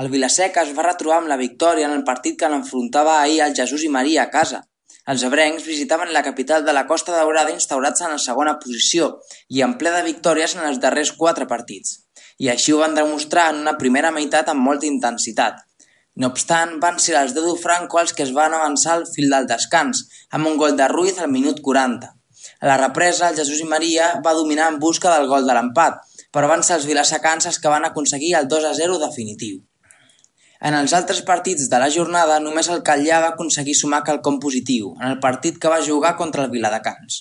El Vila-seca es va retrobar amb la victòria en el partit que l'enfrontava ahir al Jesús i Maria a casa. Els ebrencs visitaven la capital de la Costa Daurada instaurats en la segona posició i en ple de victòries en els darrers 4 partits. I així ho van demostrar en una primera meitat amb molta intensitat. No obstant, van ser els Dedu Franco els que es van avançar al fil del descans, amb un gol de Ruiz al minut 40. A la represa, el Jesús i Maria va dominar en busca del gol de l'empat, però van ser els vilasecans els que van aconseguir el 2-0 definitiu. En els altres partits de la jornada, només el Catllar va aconseguir sumar quelcom positiu, en el partit que va jugar contra el Viladecans.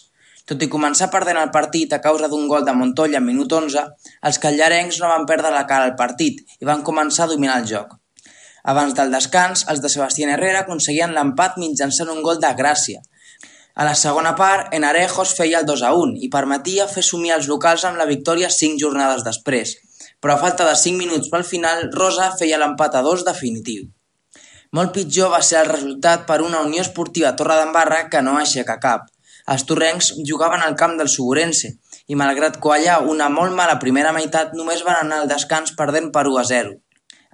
Tot i començar perdent el partit a causa d'un gol de Montoya en minut 11, els callarencs no van perdre la cara al partit i van començar a dominar el joc. Abans del descans, els de Sebastián Herrera aconseguien l'empat mitjançant un gol de Gràcia. A la segona part, Enarejos feia el 2-1 i permetia fer somiar els locals amb la victòria 5 jornades després, però a falta de 5 minuts pel final, Rosa feia l'empat a 2 definitiu. Molt pitjor va ser el resultat per una Unió Esportiva Torredembarra que no aixeca cap. Els torrencs jugaven al camp del Suburense i, malgrat quallar una molt mala primera meitat, només van anar al descans perdent per 1-0.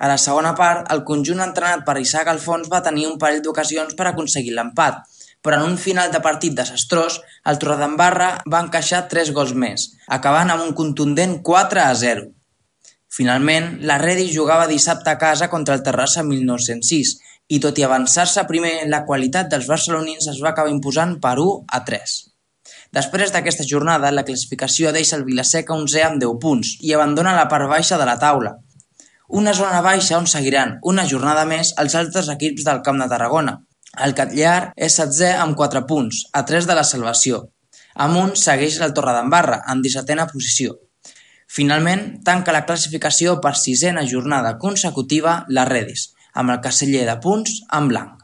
A la segona part, el conjunt entrenat per Isaac Alfons va tenir un parell d'ocasions per aconseguir l'empat, però en un final de partit desastrós, el Torredembarra va encaixar 3 gols més, acabant amb un contundent 4-0. Finalment, la Redi jugava dissabte a casa contra el Terrassa 1906 i, tot i avançar-se primer, la qualitat dels barcelonins es va acabar imposant per 1-3. Després d'aquesta jornada, la classificació deixa el Vila-seca 11è amb 10 punts i abandona la part baixa de la taula. Una zona baixa on seguiran una jornada més els altres equips del Camp de Tarragona. El Catllar és 7è amb 4 punts, a 3 de la salvació. Amunt segueix el Torredembarra, en 17a posició. Finalment, tanca la classificació per 6a jornada consecutiva la Redis, amb el caseller de punts en blanc.